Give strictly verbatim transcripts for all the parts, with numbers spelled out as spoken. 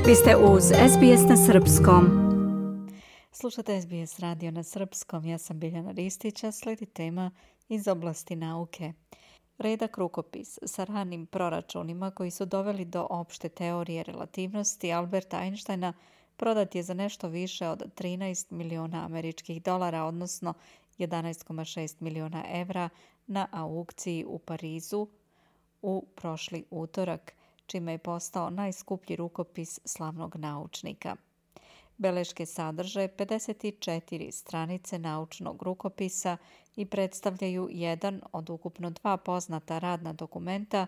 Vi ste uz S B S na srpskom. Slušate S B S radio na srpskom. Ja sam Biljana Ristić, a slijedi tema iz oblasti nauke. Redak rukopis sa ranim proračunima koji su doveli do opšte teorije relativnosti Alberta Einsteina prodat je za nešto više od trinaest miliona američkih dolara, odnosno jedanaest zarez šest miliona evra na aukciji u Parizu u prošli utorak, čime je postao najskuplji rukopis slavnog naučnika. Beleške sadrže pedeset četiri stranice naučnog rukopisa i predstavljaju jedan od ukupno dva poznata radna dokumenta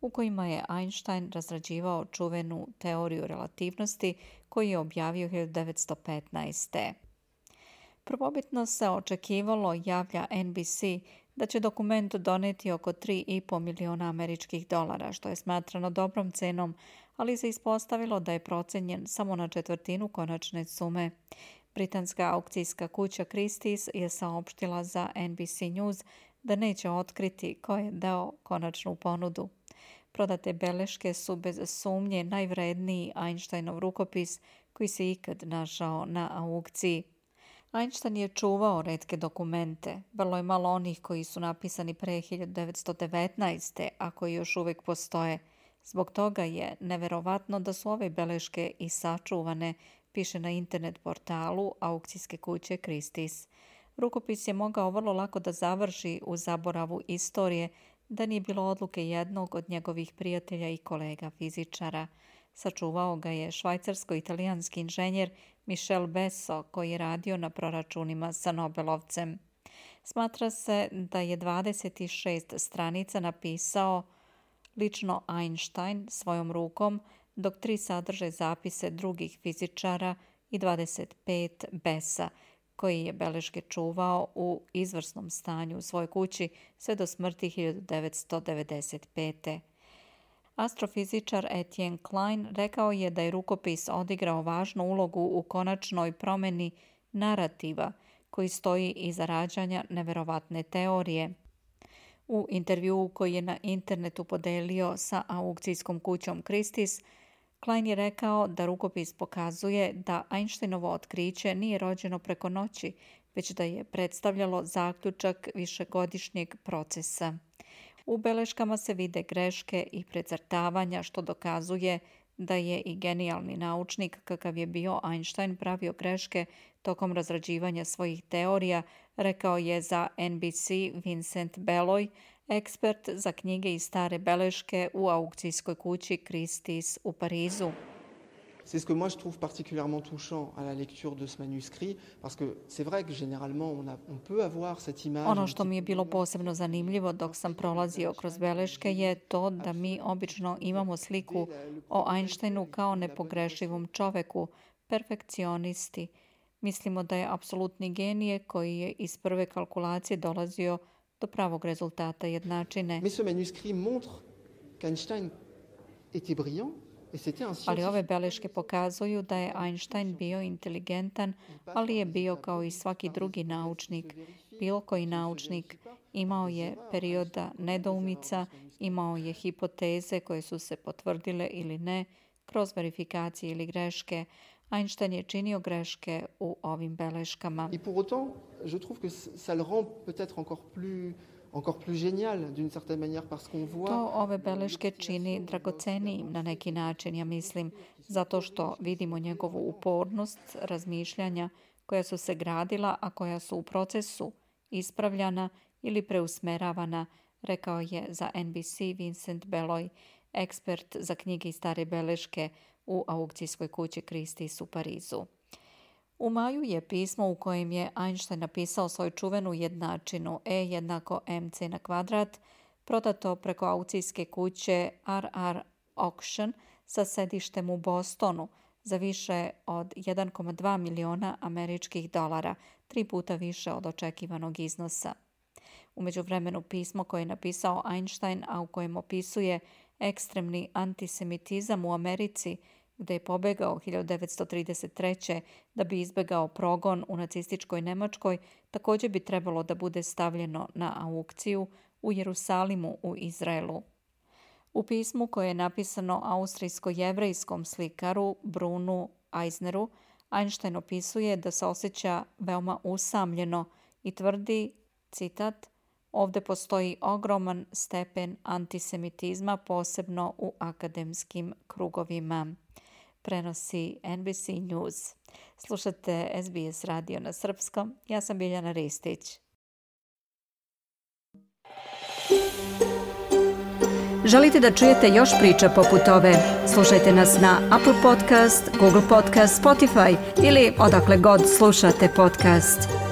u kojima je Einstein razrađivao čuvenu teoriju relativnosti koju je objavio hiljadu devetsto petnaeste. Prvobitno se očekivalo, javlja N B C, da će dokument doneti oko tri i po miliona američkih dolara, što je smatrano dobrom cenom, ali se ispostavilo da je procenjen samo na četvrtinu konačne sume. Britanska aukcijska kuća Christie's je saopštila za N B C News da neće otkriti ko je dao konačnu ponudu. Prodate beleške su bez sumnje najvredniji Einsteinov rukopis koji se ikad našao na aukciji. Einstein je čuvao retke dokumente. Vrlo je malo onih koji su napisani pre hiljadu devetsto devetnaeste. a koji još uvijek postoje. Zbog toga je neverovatno da su ove beleške i sačuvane, piše na internet portalu aukcijske kuće Christie's. Rukopis je mogao vrlo lako da završi u zaboravu istorije da nije bilo odluke jednog od njegovih prijatelja i kolega fizičara. Sačuvao ga je švajcarsko-italijanski inženjer Michel Besso, koji je radio na proračunima sa Nobelovcem. Smatra se da je dvadeset šest stranica napisao lično Einstein svojom rukom, dok tri sadrže zapise drugih fizičara i dvadeset pet Bessa, koji je beleške čuvao u izvrsnom stanju u svojoj kući sve do smrti hiljadu devetsto devedeset pete. Astrofizičar Etienne Klein rekao je da je rukopis odigrao važnu ulogu u konačnoj promjeni narativa koji stoji iza rađanja neverovatne teorije. U intervjuu koji je na internetu podelio sa aukcijskom kućom Christie's, Klein je rekao da rukopis pokazuje da Einsteinovo otkriće nije rođeno preko noći, već da je predstavljalo zaključak višegodišnjeg procesa. U beleškama se vide greške i precrtavanja, što dokazuje da je i genijalni naučnik kakav je bio Einstein pravio greške tokom razrađivanja svojih teorija, rekao je za N B C Vincent Beloy, ekspert za knjige i stare beleške u aukcijskoj kući Christie's u Parizu. C'est ce que moi je trouve particulièrement touchant à la lecture de ce manuscrit, parce que c'est vrai que généralement on, a, on peut avoir cette image. Ono što mi je bilo posebno zanimljivo dok sam prolazio kroz beleške je to da mi obično imamo sliku o Einsteinu kao nepogrešivom čoveku, perfekcionisti. Mislimo da je apsolutni genije koji je iz prve kalkulacije dolazio do pravog rezultata jednačine. Mais ce manuscrit montre qu'Einstein était brillant. Ali ove beleške pokazuju da je Einstein bio inteligentan, ali je bio kao i svaki drugi naučnik. Bilo koji naučnik imao je perioda nedoumica, imao je hipoteze koje su se potvrdile ili ne, kroz verifikacije ili greške. Einstein je činio greške u ovim beleškama. Et pour autant, je trouve que ça le rend peut-être encore plus encore plus génial d'une certaine manière parce qu'on voit. To ove beleške čini dragocenijim na neki način, ja mislim, zato što vidimo njegovu upornost razmišljanja koja su se gradila, a koja su u procesu ispravljana ili preusmeravana, rekao je za N B C Vincent Beloy, ekspert za knjige i stare beleške u aukcijskoj kući Christie's u Parizu. U maju je pismo u kojem je Einstein napisao svoju čuvenu jednačinu E jednako mc na kvadrat, prodato preko aukcijske kuće R R Auction sa sedištem u Bostonu za više od jedan zarez dva miliona američkih dolara, tri puta više od očekivanog iznosa. U međuvremenu pismo koje je napisao Einstein, a u kojem opisuje ekstremni antisemitizam u Americi, gde je pobegao hiljadu devetsto trideset treće da bi izbegao progon u nacističkoj Nemačkoj, također bi trebalo da bude stavljeno na aukciju u Jerusalimu u Izraelu. U pismu koje je napisano austrijsko-jevrejskom slikaru Brunu Eisneru, Einstein opisuje da se osjeća veoma usamljeno i tvrdi, citat, ovdje postoji ogroman stepen antisemitizma, posebno u akademskim krugovima. Prenosi N B C News. Slušate S B S radio na srpskom. Ja sam Biljana Ristić. Želite da čujete još priča poput ove? Slušajte nas na Apple Podcast, Google Podcast, Spotify ili odakle god slušate podcast.